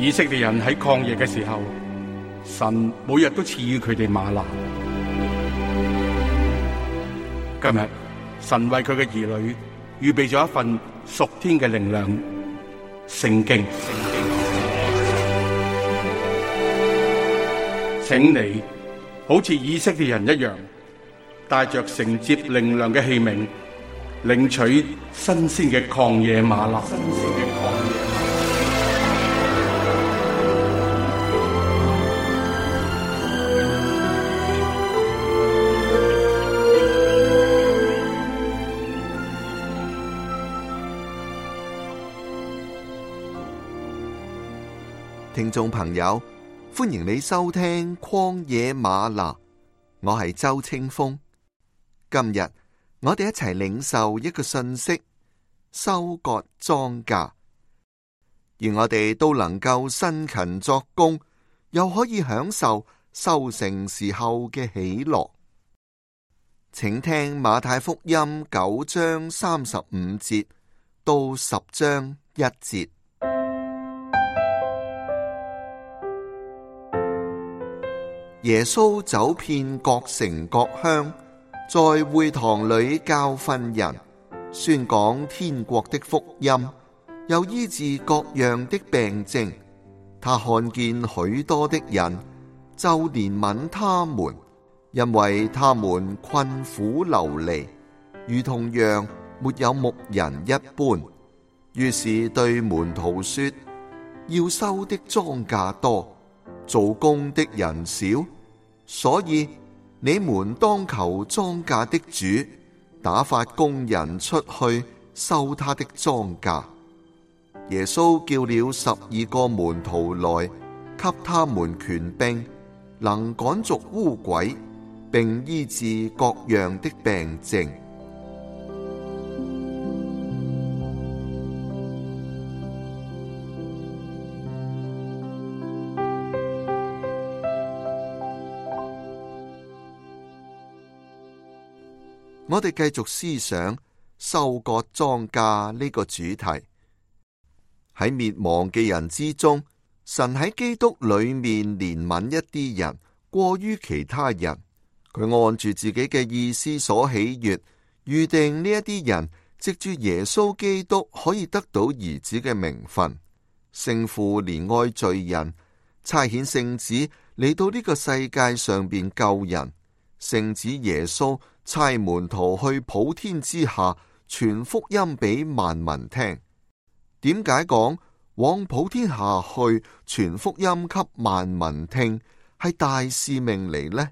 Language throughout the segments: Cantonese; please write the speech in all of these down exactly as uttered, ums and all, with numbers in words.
以色列人喺曠野嘅時候，神每日都賜予佢哋嗎哪。今日神為佢嘅兒女預備咗一份屬天嘅靈糧——聖經。請你好似以色列人一樣，帶着承接靈糧嘅器皿，領取新鮮嘅曠野嗎哪。聽眾朋友，歡迎你收聽曠野嗎哪，我係周清風。今日我哋一齊領受一個信息：收割莊稼，而我哋都能夠辛勤作工，又可以享受收成時候嘅喜樂。請聽馬太福音九章三十五節到十章一節。耶穌走遍各城各鄉，在會堂裏教訓人，宣講天國的福音，又醫治各樣的病症。他看見許多的人，就憐憫他們，因為他們困苦流離，如同羊沒有牧人一般。於是對門徒說：要收的莊稼多，做工的人少，所以你們當求莊稼的主打發工人出去收他的莊稼。耶穌叫了十二個門徒來，給他們權柄，能趕逐污鬼，並醫治各樣的病症。我哋繼續思想收割莊稼呢個主題。喺滅亡嘅人之中，神喺基督裏面憐憫一啲人，過於其他人。佢按住自己嘅意思所喜悅，預定呢一啲人藉住耶穌基督可以得到兒子嘅名分。聖父憐愛罪人，差遣聖子嚟到呢個世界上邊救人。聖子耶穌差門徒去普天之下傳福音俾萬民聽。點解講往普天下去傳福音給萬民聽係大使命嚟呢？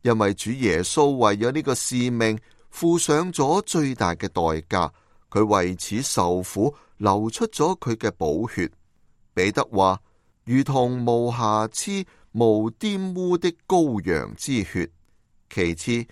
因為主耶穌為咗呢個使命付上咗最大嘅代價，佢為此受苦，流出咗佢嘅寶血。彼得話：如同無瑕疵、無玷污的羔羊之血。其次，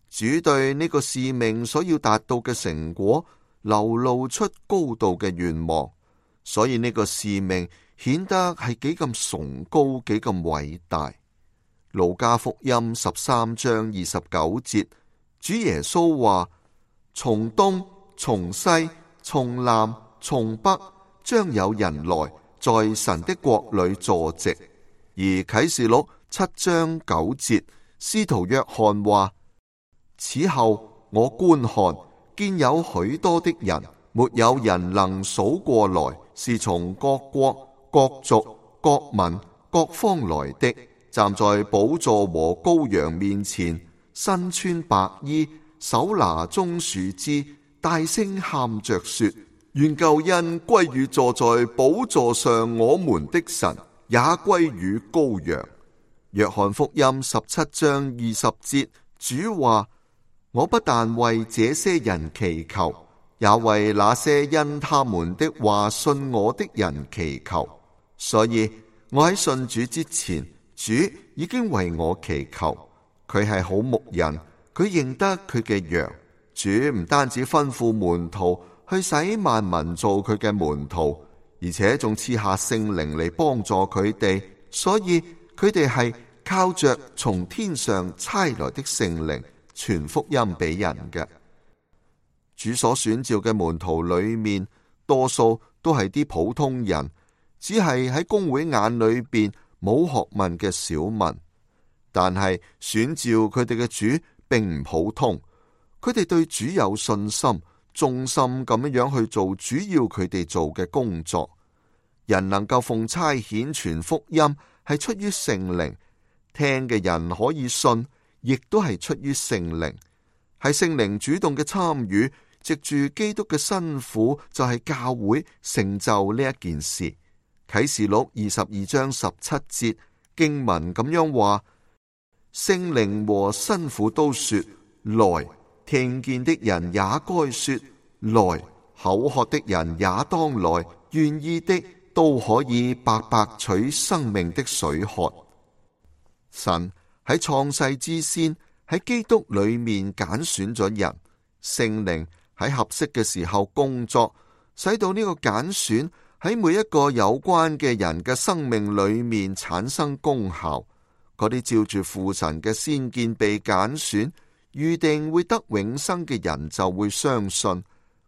主對呢個使命所要達到嘅成果流露出高度嘅願望，所以呢個使命顯得係幾咁崇高，幾咁偉大。路加福音十三章二十九節，主耶穌話：從東、從西、從南、從北，將有人來在神的國裏坐席。而啟示錄七章九節，使徒約翰話：此後我觀看，見有許多的人，沒有人能數過來，是從各國、各族、各民、各方來的，站在寶座和羔羊面前，身穿白衣，手拿棕樹枝，大聲喊着說：願救恩歸於坐在寶座上我們的神，也歸於羔羊。約翰福音十七章二十節，主話：我不但為這些人祈求，也為那些因他們的話信我的人祈求。所以我喺信主之前，主已經為我祈求。佢係好牧人，佢認得佢嘅羊。主唔單止吩咐門徒去使萬民做佢嘅門徒，而且仲賜下聖靈嚟幫助佢哋。所以佢哋係靠着從天上差來的聖靈傳福音俾人嘅。主所選召嘅門徒裏面，多數都係啲普通人，只係喺公會眼裏邊冇學問嘅小民。但係選召佢哋嘅主並唔普通，佢哋對主有信心，忠心咁樣樣去做主要佢哋做嘅工作。人能夠奉差遣傳福音，係出於聖靈，聽嘅人可以信，亦都係出於聖靈，係聖靈主動嘅參與，藉住基督嘅辛苦，就係教會成就呢一件事。啟示錄二十二章十七節經文咁樣話：聖靈和辛苦都說來，聽見的人也該說來，口渴的人也當來，願意的都可以白白取生命的水喝。神喺創世之先喺基督裏面揀選咗人，聖靈喺合適嘅時候工作，使到呢個揀選喺每一個有關嘅人嘅生命裏面產生功效。嗰啲照住父神嘅先見被揀選，預定會得永生嘅人就會相信，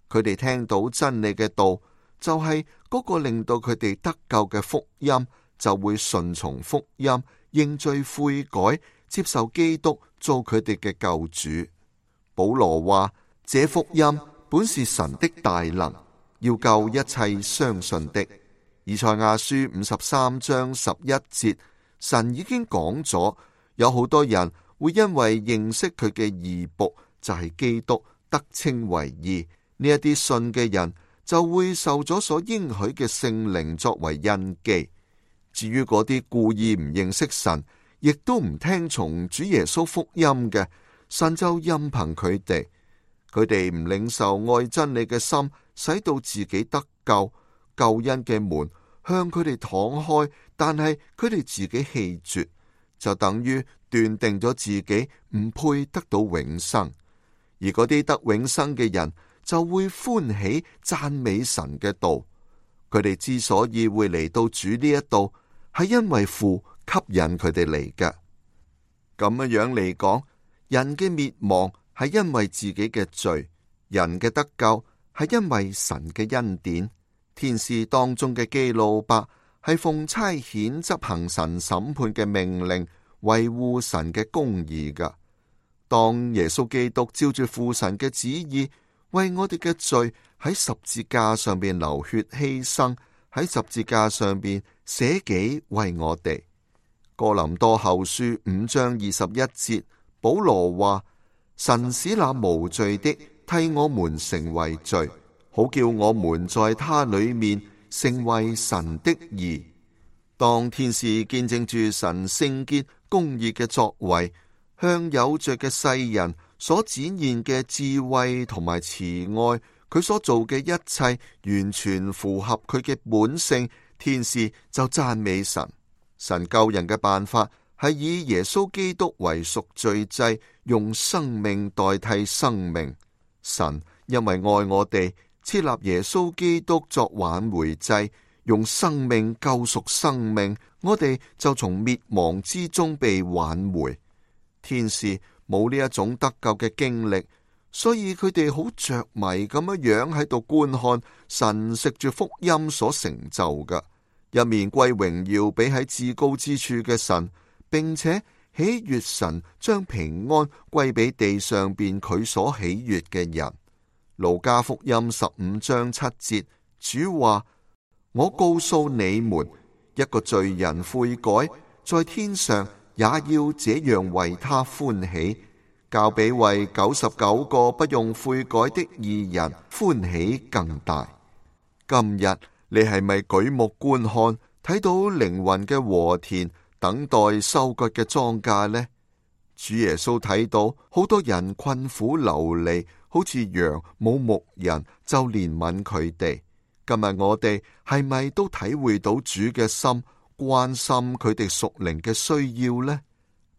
佢哋聽到真理嘅道，就係嗰個令到佢哋得救嘅福音，就會順從福音，認罪悔改，接受基督做佢哋嘅救主。保羅話：這福音本是神的大能，要救一切相信的。以賽亞書五十三章十一節，神已經講咗，有好多人會因為認識佢嘅義僕，就係基督，得稱為義。呢一啲信嘅人就會受咗所應許嘅聖靈作為印記。至於嗰啲故意唔認識神，亦都唔聽從主耶穌福音嘅，神就任憑佢哋。佢哋唔領受愛真理嘅心，使到自己得救，救恩嘅門向佢哋敞開，但係佢哋自己棄絕，就等於斷定咗自己唔配得到永生。而嗰啲得永生嘅人就會歡喜讚美神嘅道。佢哋之所以會嚟到主呢一度，係因為父吸引佢哋嚟嘅。咁樣樣嚟講，人嘅滅亡係因為自己嘅罪，人嘅得救係因為神嘅恩典。天使當中嘅基路伯係奉差遣執行神審判嘅命令，維護神嘅公義噶。當耶穌基督照住父神嘅旨意，為我哋嘅罪喺十字架上邊流血犧牲，喺十字架上邊捨己為我哋。哥林多後書五章二十一節，保羅話：神使那無罪的替我們成為罪，好叫我們在他裏面成為神的義。當天使見證住神聖潔公義嘅作為，向有罪嘅世人所展現嘅智慧同埋慈愛，佢所做嘅一切完全符合佢嘅本性，天使就讚美神。神救人嘅辦法係以耶穌基督為贖罪祭，用生命代替生命。神因為愛我哋，設立耶穌基督作挽回祭，用生命救贖生命，我哋就從滅亡之中被挽回。天使冇呢一種得救嘅經歷，所以佢哋好着迷咁樣樣喺度觀看神藉住福音所成就嘅，一面歸榮耀俾喺至高之處嘅神，並且喜悅神將平安歸俾地上邊佢所喜悅嘅人。路加福音十五章七節，主話：我告訴你們，一個罪人悔改，在天上也要這樣為他歡喜，較比為九十九個不用悔改的義人歡喜更大。今日你係咪舉目觀看，睇到靈魂嘅禾田，等待收割嘅莊稼呢？主耶穌睇到好多人困苦流離，好似羊冇牧人，就憐憫佢哋。今日我哋係咪都體會到主嘅心，關心佢哋屬靈嘅需要呢？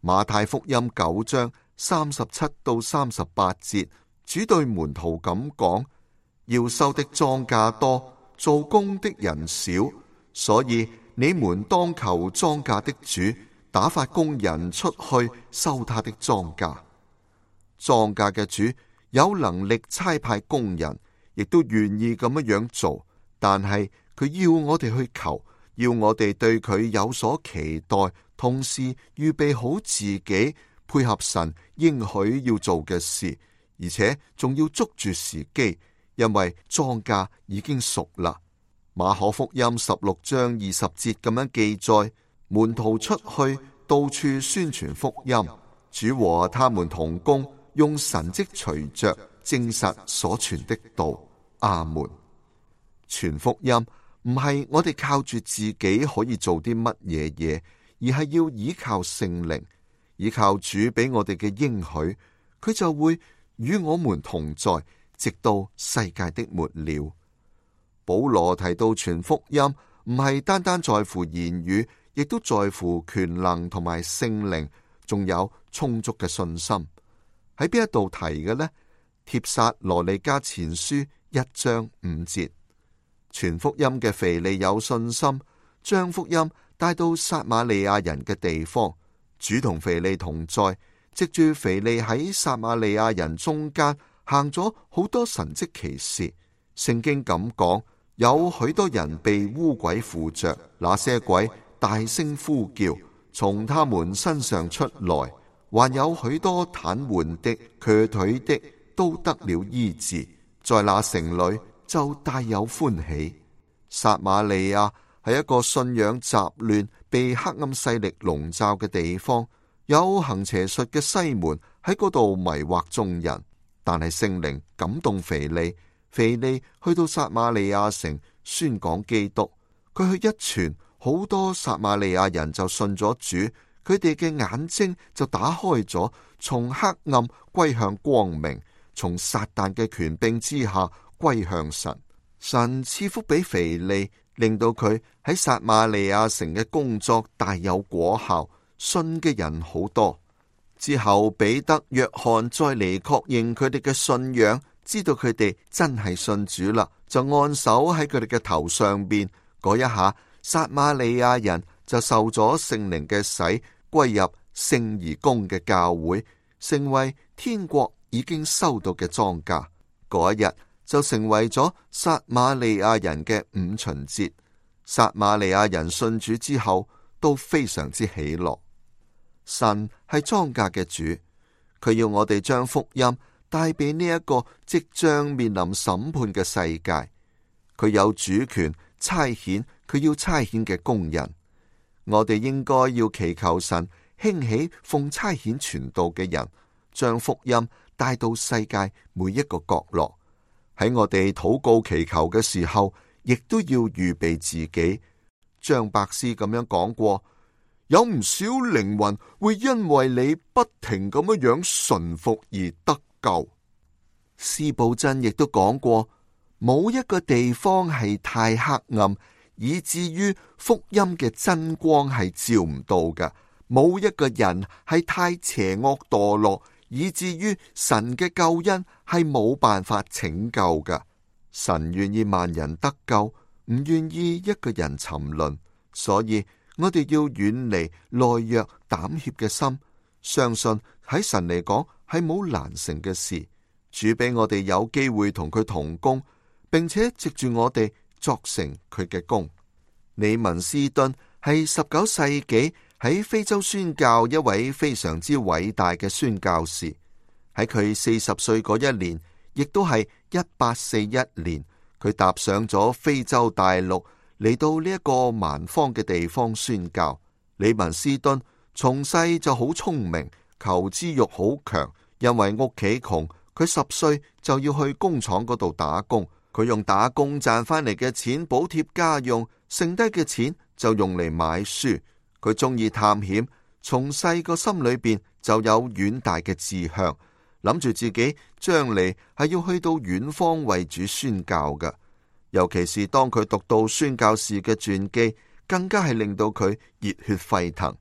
馬太福音九章三十七到三十八節，主對門徒咁講：要收的莊稼多，做工的人少，所以你們當求莊稼的主打發工人出去收他的莊稼。莊稼嘅主有能力差派工人，亦都願意咁樣樣做，但係佢要我哋去求，要我哋對佢有所期待，同時預備好自己，配合神應許要做嘅事，而且仲要捉住時機，因為莊稼已經熟啦。馬可福音十六章二十節咁樣記載，門徒出去到處宣傳福音，主和他們同工，用神蹟隨着證實所傳的道。阿門。傳福音唔係我哋靠住自己可以做啲乜嘢嘢，而係要依靠聖靈，依靠主俾我哋嘅應許，佢就會與我們同在，直到世界的末了。保羅提到傳福音唔係單單在乎言語，亦都在乎權能同埋聖靈，仲有充足嘅信心。喺邊一度提嘅呢？帖撒羅尼迦前書一章五節。傳福音嘅腓利有信心，將福音帶到撒瑪利亞人嘅地方。主同腓利同在，藉住腓利喺撒瑪利亞人中間行咗好多神蹟奇事。聖經咁講，有許多人被污鬼附着，那些鬼大聲呼叫，從他們身上出來，還有許多癱瘓的、瘸腿的都得了醫治。在那城裏就大有歡喜。撒瑪利亞係一個信仰雜亂、被黑暗勢力籠罩嘅地方，有行邪術嘅西門喺嗰度迷惑眾人。但係聖靈感動腓利，腓利去到撒瑪利亞城宣講基督。佢去一傳，好多撒瑪利亞人就信咗主，佢哋嘅眼睛就打開咗，從黑暗歸向光明，從撒旦嘅權柄之下歸向神。神賜福俾腓利，令到佢喺撒瑪利亞城嘅工作大有果效，信嘅人好多。之後彼得、約翰再嚟確認佢哋嘅信仰，知道佢哋真係信主啦，就按手喺佢哋嘅頭上邊，嗰一下撒瑪利亞人就受咗聖靈嘅洗，歸入聖而公嘅教會，成為天國已經收到嘅莊稼。嗰一日就成為咗撒瑪利亞人嘅五旬節。撒瑪利亞人信主之後都非常之喜樂。神係莊稼嘅主，佢要我哋將福音帶俾呢一個即將面臨審判嘅世界。佢有主權差遣佢要差遣嘅工人。我哋應該要祈求神興起奉差遣傳道嘅人，將福音帶到世界每一個角落。喺我哋禱告祈求嘅時候，亦都要預備自己。張伯斯咁樣講過，有唔少靈魂會因為你不停咁樣樣順服而得救。司布真亦都講過，冇一個地方係太黑暗，以至於福音嘅真光係照唔到嘅；冇一個人係太邪惡墮落，以至於神嘅救恩係冇辦法拯救嘅。神願意萬人得救，唔願意一個人沉淪。所以我哋要遠離懦弱膽怯嘅心，相信喺神嚟講係冇難成嘅事。主俾我哋有機會同佢同工，並且藉住我哋作成佢嘅工。李文斯頓係十九世紀喺非洲宣教一位非常之偉大嘅宣教士。喺佢四十歲嗰一年，亦都係一八四一年，佢踏上咗非洲大陸，嚟到呢一個蠻荒嘅地方宣教。李文斯頓從細就好聰明，求知欲好強，因為屋企窮，佢十歲就要去工廠嗰度打工。佢用打工賺翻嚟嘅錢補貼家用，剩低嘅錢就用嚟買書。佢中意探險，從細個心裏邊就有遠大嘅志向，諗住自己將嚟係要去到遠方為主宣教嘅。尤其是當佢讀到宣教士嘅傳記，更加係令到佢熱血沸騰。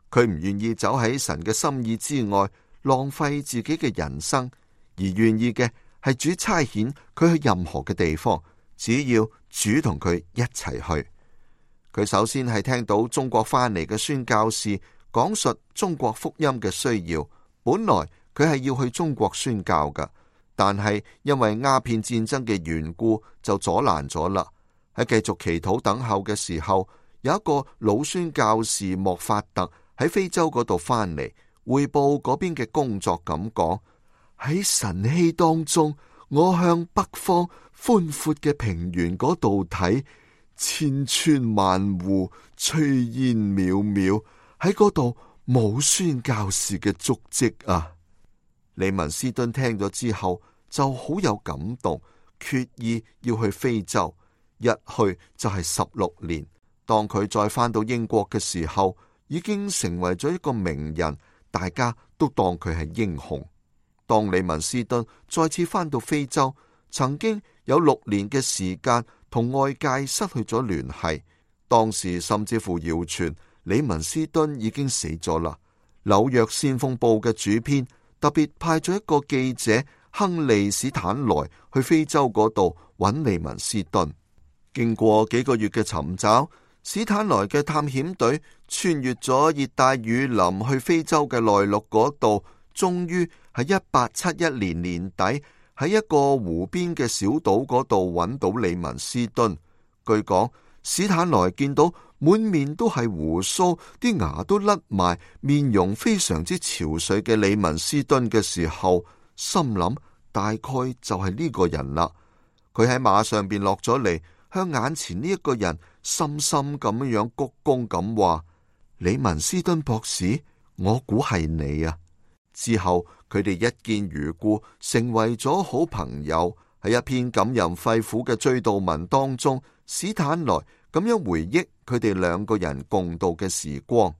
佢唔願意走喺神嘅心意之外，浪費自己嘅人生，而願意嘅係主差遣佢去任何嘅地方，只要主同佢一齊去。佢首先係聽到中國翻嚟嘅宣教士講述中國福音嘅需要，本來佢係要去中國宣教㗎，但係因為鴉片戰爭嘅緣故就阻攔咗啦。喺繼續祈禱等候嘅時候，有一個老宣教士莫法特喺非洲嗰度翻嚟，匯報嗰邊嘅工作咁講：喺晨曦當中，我向北方寬闊嘅平原嗰度睇，千村萬戶，炊煙渺渺，喺嗰度冇宣教士嘅足跡啊！李文斯敦聽咗之後就好有感動，決意要去非洲，一去就係十六年。當佢再返到英國嘅時候，已經成為咗一個名人，大家都當佢係英雄。當李文斯敦再次返到非洲，曾經有六年嘅時間同外界失去咗聯繫，當時甚至乎謠傳李文斯敦已經死咗啦。紐約先鋒報嘅主編特別派咗一個記者亨利史坦萊去非洲嗰度揾李文斯敦。經過幾個月嘅尋找，史坦萊嘅探險隊穿越咗熱帶雨林去非洲嘅內陸嗰度，終於喺一八七一年年底喺一個湖邊嘅小島嗰度揾到李文斯敦。據講，史坦萊見到滿面都係鬍鬚，啲牙都甩埋，面容非常之憔悴嘅李文斯敦嘅時候，心諗大概就係呢個人啦。佢喺馬上邊落咗嚟，向眼前呢一個人深深咁樣鞠躬咁話：李文斯敦博士，我估係你啊！之後佢哋一見如故，成為咗好朋友。喺一篇感人肺腑嘅追悼文當中，史坦萊咁樣回憶佢哋兩個人共度嘅時光。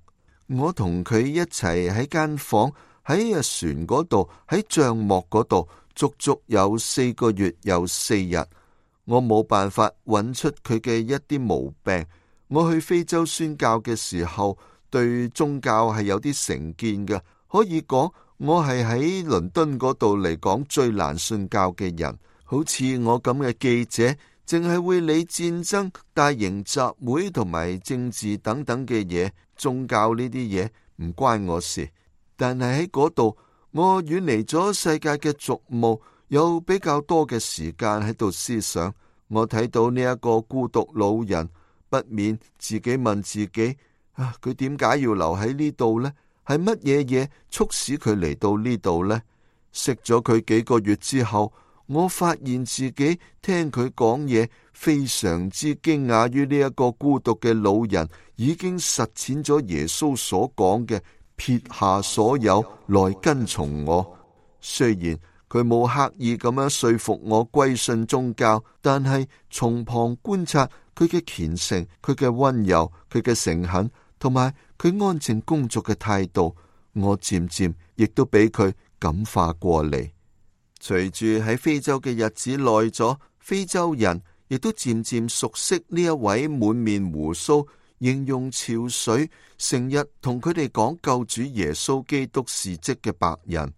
我同佢一齊喺間房，喺船嗰度，喺帳幕嗰度，足足有四個月又四日。我冇辦法揾出佢嘅一啲毛病。我去非洲宣教嘅時候，對宗教係有啲成見嘅，可以講我係喺倫敦嗰度嚟講最難信教嘅人。好似我咁嘅記者，淨係會理戰爭、大型集會同埋政治等等嘅嘢，宗教呢啲嘢唔關我事。但係喺嗰度，我遠離咗世界嘅俗務，有比較多嘅時間喺度思想。我睇到呢一個孤獨老人，不免自己問自己：啊，佢點解要留喺呢度呢？係乜嘢嘢促使佢嚟到呢度呢？識咗佢幾個月之後，我發現自己聽佢講嘢，非常之驚訝於呢一個孤獨嘅老人已經實踐咗耶穌所講嘅撇下所有來跟從我。雖然佢冇刻意咁樣說服我歸信宗教，但係從旁觀察佢嘅虔誠、佢嘅溫柔、佢嘅誠懇，同埋佢安靜工作嘅態度，我漸漸亦都俾佢感化過嚟。隨住喺非洲嘅日子耐咗，非洲人亦都漸漸熟悉呢一位滿面鬍鬚、形容憔悴、成日同佢哋講救主耶穌基督事蹟嘅白人。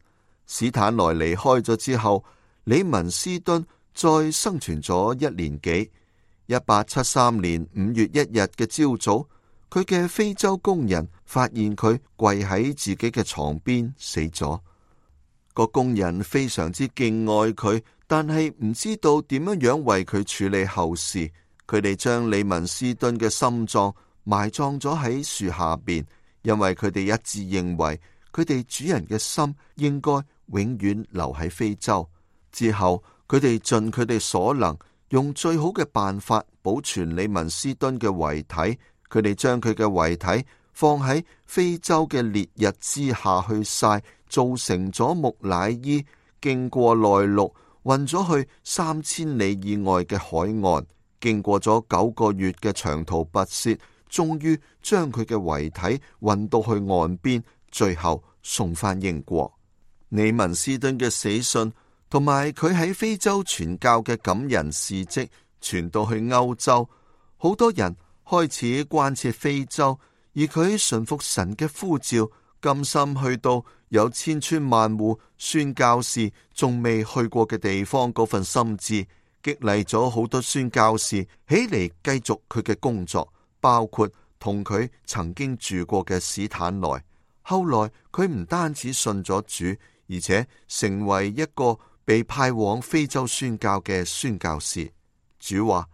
史坦萊離開咗之後，李文斯敦再生存咗一年幾。一八七三年五月一日嘅朝早，佢嘅非洲工人發現佢跪喺自己嘅床邊死咗。個工人非常之敬愛佢，但係唔知道點樣樣為佢處理後事。佢哋將李文斯敦嘅心臟埋葬咗喺樹下邊，因為佢哋一致認為佢哋主人嘅心應該永遠留喺非洲。之後佢哋盡佢哋所能，用最好嘅辦法保存李文斯敦嘅遺體。佢哋將佢嘅遺體放喺非洲嘅烈日之下去曬，做成咗木乃伊，經過內陸運咗去三千里以外嘅海岸，經過咗九個月嘅長途跋涉，終於將佢嘅遺體運到去岸邊，最後送返英國。李文斯敦嘅死訊同埋佢喺非洲傳教嘅感人事跡傳到去歐洲，好多人開始關切非洲，而佢順服神嘅呼召，甘心去到有千村萬戶宣教士仲未去過嘅地方，嗰份心志激勵咗好多宣教士起嚟繼續佢嘅工作，包括同佢曾經住過嘅史坦萊。後來佢唔單止信咗主，而且成為一個被派往非洲宣教嘅宣教士。主話：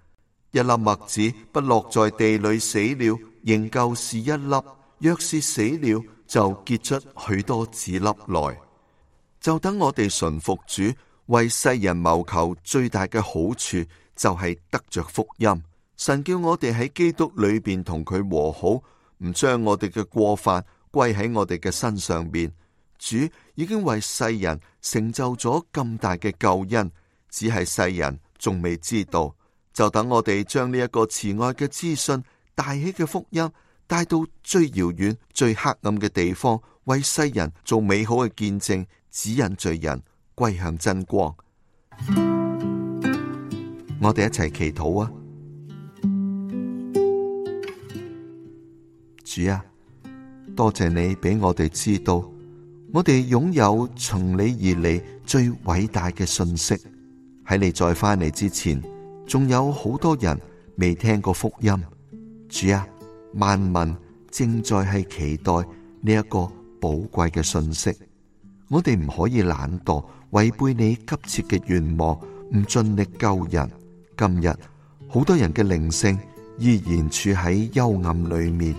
一粒麥子不落在地裏死了，仍舊是一粒，若是死了，就結出許多子粒來。就等我哋順服主，為世人謀求最大嘅好處，就係得着福音。神叫我哋喺基督裏邊同佢和好，唔將我哋嘅過犯歸喺我哋嘅身上邊。主已經為世人成就咗咁大嘅救恩，只係世人仲未知道。就等我哋將呢一個慈愛嘅資訊、大喜嘅福音帶到最遙遠、最黑暗嘅地方，為世人做美好嘅見證，指引罪人歸向真光。我哋一齊祈禱啊！主啊，多謝你俾我哋知道，我哋擁有從你而嚟最偉大嘅信息。喺你再翻嚟之前，仲有好多人未聽過福音。主啊，萬民正在係期待呢一個寶貴嘅信息。我哋唔可以懶惰，違背你急切嘅願望，唔盡力救人。今日好多人嘅靈性依然處喺幽暗裏面。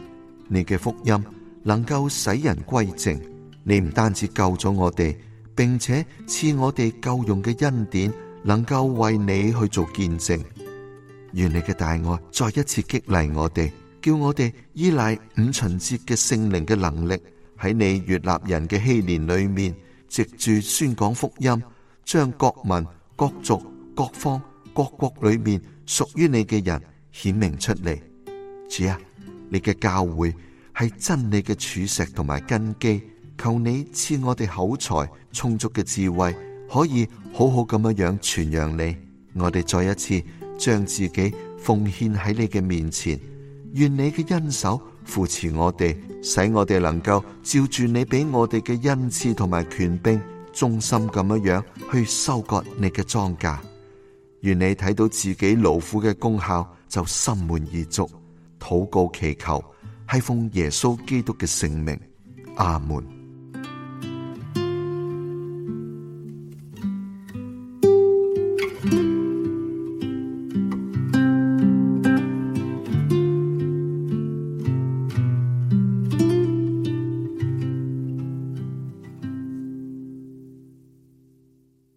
你嘅福音能夠使人歸正。你唔單止救咗我哋，並且賜我哋夠用嘅恩典，能夠為你去做見證。願你嘅大愛再一次激勵我哋，叫我哋依賴五旬節嘅聖靈嘅能力，喺你悅納人嘅禧年裏面，藉住宣講福音，將各民、各族、各方、各國裏面屬於你嘅人顯明出嚟。主啊，你嘅教會係真理嘅柱石同埋根基，求你賜我哋口才充足嘅智慧，可以好好咁樣樣傳揚你。我哋再一次將自己奉獻喺你嘅面前，願你嘅恩手扶持我哋，使我哋能夠照住你俾我哋嘅恩賜同埋權柄，忠心咁樣樣去收割你嘅莊稼。願你睇到自己勞苦嘅功效，就心滿意足。禱告祈求，係奉耶穌基督嘅聖名，阿門。